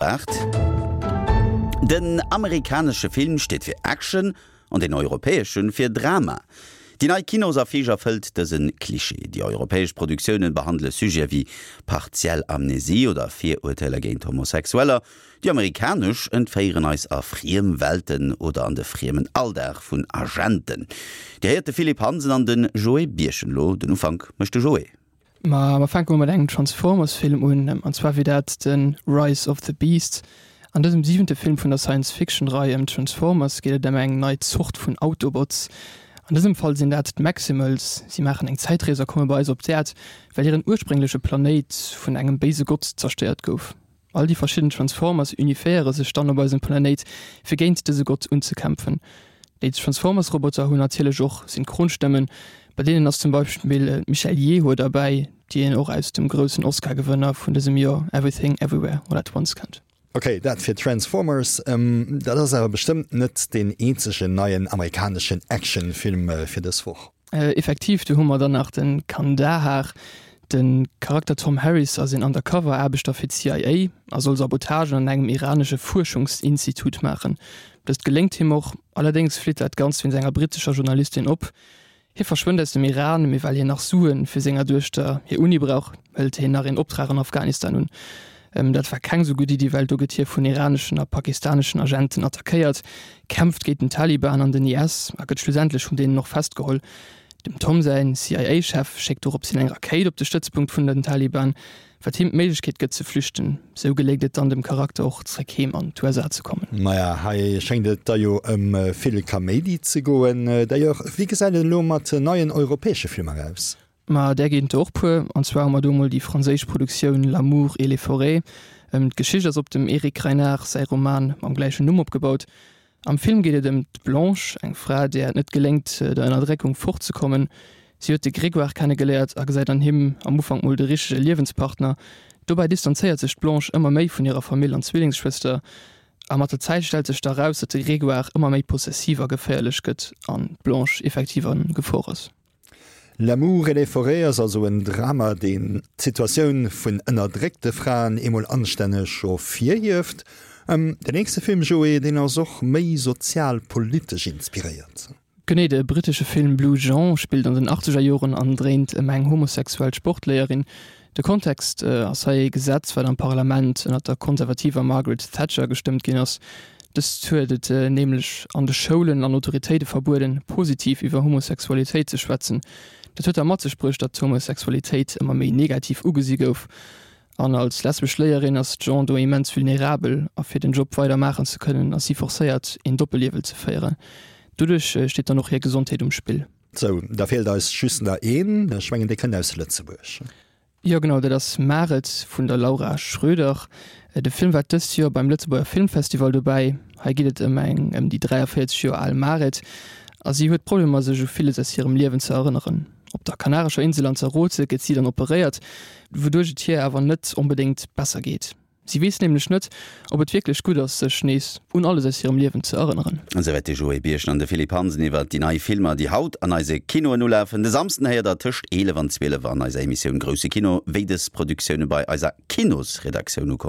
8. Den amerikanesche Film steet fir Action an den europäesche fir Drama. Déi nei Kinosaffiche erfëllt dëse Klischee. Déi europäesch Produktioune behandele Sujete wéi partiell Amnesie oder Virurteeler géint Homosexueller. Déi amerikanesch entféieren eis a friem Welten oder an de friemen Alldag vun Agenten. Dir héiert de Philippe Hansen an de Joé Birchen. Elo den Ufank mécht de Joé. Ma mer fänke mol mat engem Transformers-Film un, an zwar wier dat de Rise of the Beasts. An dësem siwente Film vun der Science-Fiction-Rei ëm d'Transformers geet et ëm eng nei Zort vun Autobots. An dësem Fall sinn dat d'Maximals. Si maachen eng Zäitrees a komme bei eis op d'Äerd, well hiren urspréngleche Planéit vun engem béise Gott zerstéiert gouf. All déi verschidden Transformers uniféiere sech dann op eisem Planéit, fir géint dëse Gott unzekämpfen. Déi Transformers-Roboter hunn natierlech och Synchronstëmmen, bei deenen ass zum Beispill d'Michelle Yeoh derbäi, déi een och aus dem groussen Oscar-Gewënner vun dësem Joer Everything Everywhere All at Once kennt. Ok, dat fir Transformers. Dat ass awer bestëmmt net deen eenzegen neien amerikaneschen Action-Film fir dës Woch. Effektiv, do hu mer dann nach de Kandahar. De Charakter Tom Harris ass een Undercover-Aarbechter fir d'CIA a soll Sabotagen an engem iranesche Fuerschungsinstitut maachen. Dëst geléngt him och, allerdéngs flitt dat Ganzt wéinst enger brittescher Journalistin op. Hie verschwënnt aus dem Iran, mee well hien nach Sue fir senger Duechter hir Uni brauch, hëlt hien nach een Optrag an Afghanistan un. Dat war keng sou gutt Iddi, well do gëtt hie vun iraneschen a pakistaneschen Agenten attackéiert, kämpft géint den Taliban an den IS a gëtt schlussendlech vun deenen och festgeholl. Dem Tom säin CIA-Chef schéckt dorops hin eng Rakéit op de Stëtzpunkt vun den Taliban, wat him d'Méiglechkeet gëtt ze flüchten. Sou geléngt et dann dem Charakter och zréck heem an d'USA ze kommen. Maja, hei schéngt et da jo ëm vill Kaméidi ze goen. D'ailleurs, wéi gesäit et elo mat neien europäesche Filmer aus? Ma där ginn et der och puer. An zwar hu mer do emol déi franséisch Produktioun L'amour et les forêts. D'Geschicht ass op dem Eric Reinard säi Roman mam gläichen Numm opgebaut. Am Film geet et ëm d'Blanche, eng Fra, där et net geléngt, der Ënnerdréckung fortzekommen. Si huet de Grégoire kennegeléiert a gesäit an him am Ufank mol de richtege Liewenspartner. Dobäi distanzéiert sech d'Blanche ëmmer méi vun hirer Famill an Zwillingsschwëster. A mat der Zäit stellt sech da raus, datt de Grégoire ëmmer méi possessiv a geféierlech gëtt an d'Blanche effektiv a Gefor ass. L'amour et les forêts ass also en Drama, deen d'Situatioun vun ënnerdréckte Fraen eemol anstänneg ervirhieft. Den nächste Film, Joé, deen ass och méi sozial-politesch inspiréiert. Genee, de brittesche Film Blue Jean spillt an den achtzeger Joren an dréint ëm eng homosexuell Sportléierin. De Kontext ass hei ee Gesetz, wat am Parlament ënnert der konservativer Margaret Thatcher gestëmmt ginn ass. Dëst huet et nämlech an de Schoulen an Autoritéite verbueden, positiv iwwer Homosexualitéit ze schwätzen. Dat huet da mat sech bruecht, datt d'Homosexualitéit ëmmer méi negativ ugesi gouf. An als lesbesch Léierin ass d'Jean do immens vulnerabel a fir den Job weider maachen ze kënnen, ass si forcéiert, een Doppelliewen ze féieren. Doduerch steet dann och hir Gesondheet um Spill. Sou, da feelt eis just nach een. Ech mengen, dee kënnt aus Lëtzebuerg. Jo genau, dat ass Maret vun der Laura Schroeder. De Film war dëst Joer beim Lëtzebuerger Filmfestival dobäi. Hei geet et ëm eng ëm déi 43 Joer al Maret a si huet Problemer sech u villes aus hirem Liewen ze erënneren. Op der kanarescher Insel Lanzarote gëtt si dann operéiert, wouduerch et hir awer net onbedéngt besser geet. Si weess nämlech net, ob et wierklech gutt ass, sech nees un alles aus hirem Liewen ze erënneren. Esouwäit de Joé Birchen an de Philippe Hansen iwwer déi nei Filmer, déi haut an eise Kinoen ulafen. De Samsden héiert der tëscht 11 an 12 an eiser Emissioun Grousse Kino, wéi dës Produktioune bei eiser Kinosredaktioun ukomm.